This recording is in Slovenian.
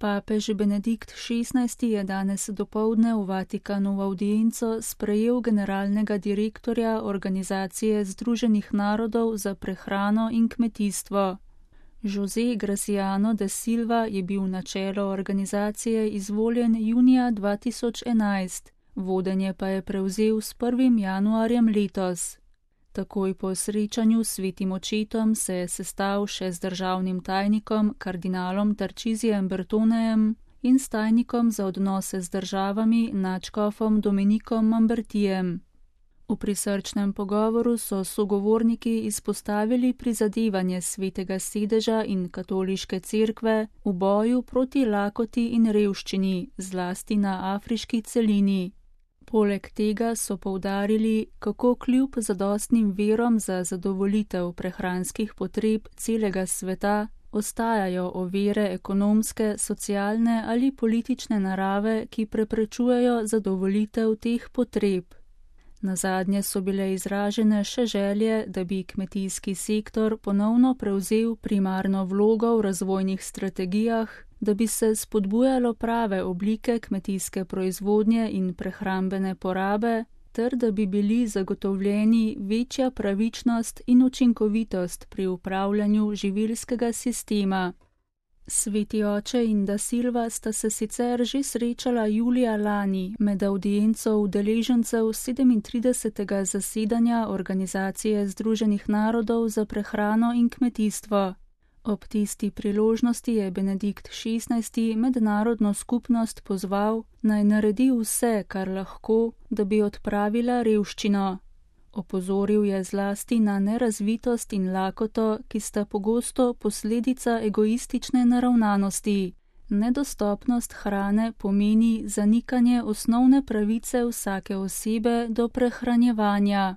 Papež Benedikt XVI je danes dopoldne v Vatikanu v avdienco sprejel generalnega direktorja Organizacije Združenih narodov za prehrano in kmetijstvo. José Graciano da Silva je bil na čelo organizacije izvoljen junija 2011, vodenje pa je prevzel s 1. januarjem letos. Takoj po srečanju s Svetim očetom se je sestal še z državnim tajnikom kardinalom Tarcisijem Bertonejem in s tajnikom za odnose z državami nadškofom Dominikom Mambertijem. V prisrčnem pogovoru so sogovorniki izpostavili prizadevanje Svetega sedeža in katoliške cerkve v boju proti lakoti in revščini, zlasti na afriški celini. Poleg tega so poudarili, kako kljub zadostnim virom za zadovoljitev prehranskih potreb celega sveta ostajajo ovire ekonomske, socialne ali politične narave, ki preprečujejo zadovoljitev teh potreb. Nazadnje so bile izražene še želje, da bi kmetijski sektor ponovno prevzel primarno vlogo v razvojnih strategijah, da bi se spodbujalo prave oblike kmetijske proizvodnje in prehrambene porabe, ter da bi bili zagotovljeni večja pravičnost in učinkovitost pri upravljanju živilskega sistema. Sveti oče in da Silva sta se sicer že srečala julija lani med avdienco udeležencev 37. zasedanja Organizacije Združenih narodov za prehrano in kmetijstvo. Ob tisti priložnosti je Benedikt XVI mednarodno skupnost pozval, naj naredi vse, kar lahko, da bi odpravila revščino. Opozoril je zlasti na nerazvitost in lakoto, ki sta pogosto posledica egoistične naravnanosti. Nedostopnost hrane pomeni zanikanje osnovne pravice vsake osebe do prehranjevanja.